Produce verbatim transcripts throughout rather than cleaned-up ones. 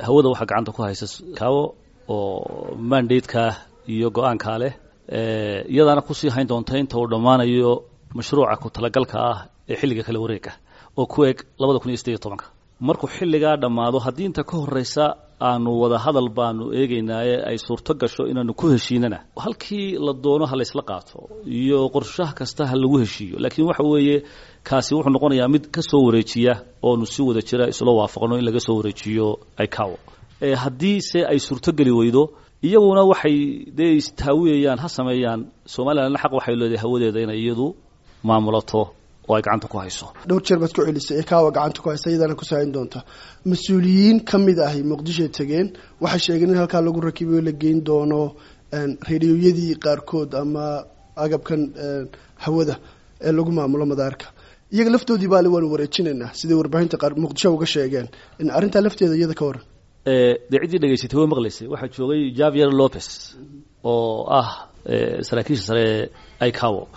Hawada waxaa gacanta ku haysa I C A O oo mandate-ka iyo go-aankaa leh, iyadaana kusii hayn doonta inta uu dhammaanayo mashruuca ku talagalka ah ee xilliga kala wareega oo ku eg labada kun iyo sideed iyo tobanka. Markuu xilligaa dhammaado, haddii inta ka horreysa aanu wada hadal baanu eegaynaaye ay suurto gasho inaanu ku heshiinana, halkii la doono ha laysla qaato iyo qorshaha kasta ha lagu heshiiyo. Laakiin waxa weeye, kaasi wuxuu noqonayaa mid ka soo wareejiya oonu si wada jira isla waafaqno in laga soo wareejiyo I C A O. Haddii se ay suurtogeli weydo, iyaguna waxay dee istaawiyayaan ha sameeyaan. Somalilandna xaq waxay leedahay hawadeeda inay iyadu maamulato oo ay gacanta ku hayso. Dhowr jeer baad ku celisay I C A O gacanta ku haysa, iyadana kusoo hayn doonta. Mas-uuliyiin ka mid ahi Muqdishoy tegeen, waxay sheegeen in halkaa lagu rakibayo, la geyn doono radioyadii qaarkood ama agabkan hawada ee lagu maamulo madaarka. Iyaga laftoodii baale waanu wareejinaynaa, siday warbaahinta qaar Muqdisho uga sheegeen. In arrintaa lafteeda iyada ka waran? Dee ciddii dhegaysatay way maqlaysay. Waxaa joogay Javier Lopez oo ah saraakiisha sare ee I C A O.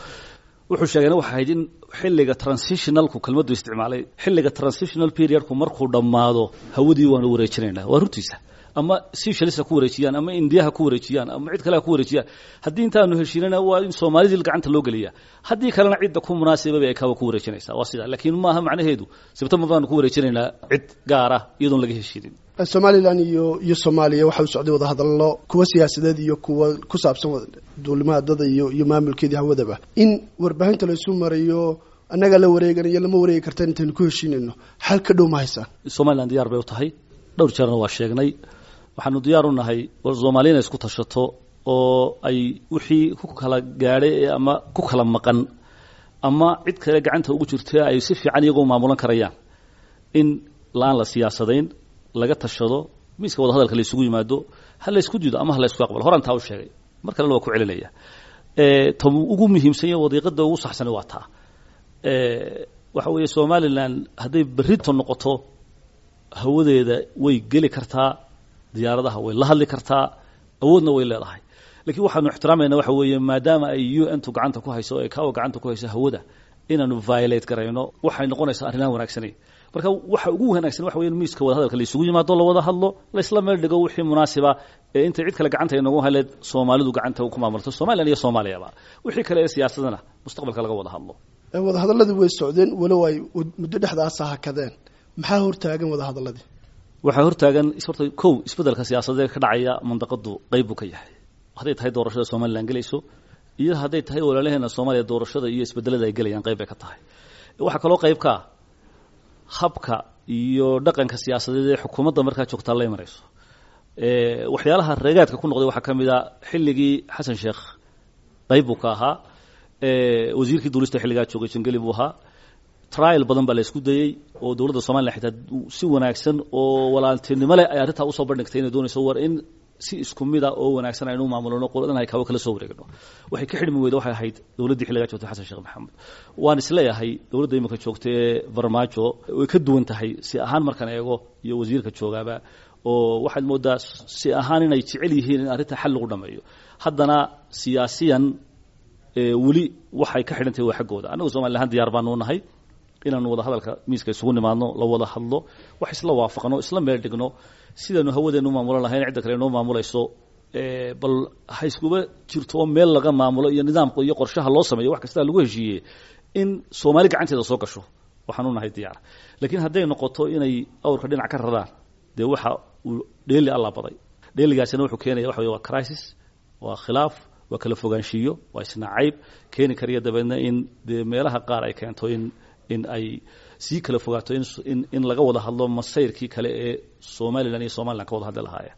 Wuxuu sheegayna waxay ahayd in xilliga transitionalku, kelmaddu isticmaalay, xilliga transitional periodku markuu dhammaado hawadii waanu wareejinaynaa. Waa runtiisa. Ama Seychelles ha ku wareejiyaan, ama Indiya ha ku wareejiyaan, ama cid kale ha ku wareejiyaan. Haddii intaanu heshiinana, waa in Soomaalidii gacanta loo geliyaa. Haddii kalena, cidda ku munaasiba bay I C A O ku wareejinaysaa. Waa sidaa, laakiin maaha macnaheedu Sebtembar baanu ku wareejinaynaa cid gaara iyadoon laga heshiinin. Somaliland iyo iyo Soomaaliya waxa u socday wadahadallo, kuwa siyaasadeed iyo kuwa ku saabsan duulimaadada iyo iyo maamulkeedii hawadaba. In warbaahinta laysu marayo annagaa la wareeganayo, lama wareegi kartaan intaynu ku heshiinayno, xal ka dhow ma haysaan? Somaliland diyaar bay u tahay. Dhowr jeerna waa sheegnay, waxaanu diyaar u nahay war Soomaaliya inay isku tashato oo ay wixii ku kala gaadhay ama ku kala maqan ama cid kale gacanta ugu jirta ay si fiican iyagoo maamulan karayaan, in laan la siyaasadayn, laga tashado, miiska wada hadalka la isugu yimaado, ha la isku diido ama ha la isku aqbalo. Horaan taa u sheegay, mar kalena waa ku celinaya. Ta ugu muhiimsan yahay, wadiiqada ugu saxsani waa taa. Waxa weeye, Somaliland hadday berrito noqoto, hawadeeda way geli kartaa, diyaaradaha way la hadli kartaa, awoodna way leedahay. Lakiin waxaanu ixtiraamayna waxa weeye, maadaama ay U N tu gacanta ku hayso, ay I C A O gacanta ku hayso hawada, inaanu violate garayno waxay noqonaysaa arrinaan wanaagsanayn. Marka waxa ugu wanaagsan waxa weeye in miiska wada hadalka la isugu yimaado, la wada hadlo, la isla meel dhigo wixii munaasiba ee intay cid kale gacanta inoogu haleed Soomaalidu gacanta ku maamulto, Somaliland iyo Soomaaliyaba. Wixii kale ee siyaasadana mustaqbalka laga wada hadlo. Wadahadalladii way socdeen, walow ay muddo dhexdaasa hakadeen. Maxaa hortaagan wadahadalladii? Waxaa hortaagan horta kow, isbeddelka siyaasadeed ka dhacaya mandaqadu qayb buu ka yahay. Hadday tahay doorashada Somaliland gelayso iyo hadday tahay walaalaheena Soomaaliya doorashada iyo isbedelada ay gelayaan, qayb bay ka tahay. Waxaa kaloo qayb ka ah habka iyo dhaqanka siyaasadeed ee xukuumadda markaa joogtaa la imanayso. Waxyaalaha reegaadka ku noqday waxaa ka mid a xilligii Xasan Sheekh qayb buu ka ahaa. Wasiirkii duulista xilligaa joogay Jangeli buu ahaa. Trial badan baa la isku dayey oo dowladda Somaliland xitaa si wanaagsan oo walaaltinimo leh ay arrintaa usoo bandhigtay, inay doonayso war in si isku mid a oo wanaagsan aynu maamulno, qoladan I C A O kala soo wareegno. Waxay ka xidhmi weyda waxay ahayd dowladdii xilligaa joogtay, Xasan Sheekh Maxamed. Waan isleeyahay dowladda imika joogta ee Farmaajo way ka duwan tahay si ahaan markaan eego iyo wasiirka joogaaba, oo waxaad moodaa si ahaan inay jecel yihiin in arrinta xal lagu dhameeyo. Haddana siyaasiyan weli waxay ka xidhan tahay waa xaggooda. Annagu Somali ahaan diyaar baanu nahay inaanu wada hadalka miiska isugu nimaadno, la wada hadlo, wax isla waafaqno, isla meel dhigno sidaanu hawadeenu maamulan lahayn, cidda kale inoo maamulayso bal ha iskuba jirto oo meel laga maamulo iyo nidaamka iyo qorshaha loo sameeyo, wax kastaa lagu heshiiyey in Soomaali gacanteeda soo gasho, waxaan u nahay diyaar. Laakiin hadday noqoto inay awrka dhinac ka raraan, dee waxa uu dheeli alla baday, dheeligaasina wuxuu keenaya waxa wey waa crisis, waa khilaaf, waa kala fogaanshiyo, waa isnacayb keeni karaya dabeedna in dee meelaha qaar ay keento in in ay sii kala fogaato, in in in laga wada hadlo masayrkii kale ee Somaliland iyo Somaliland ka wada hadli lahaayeen.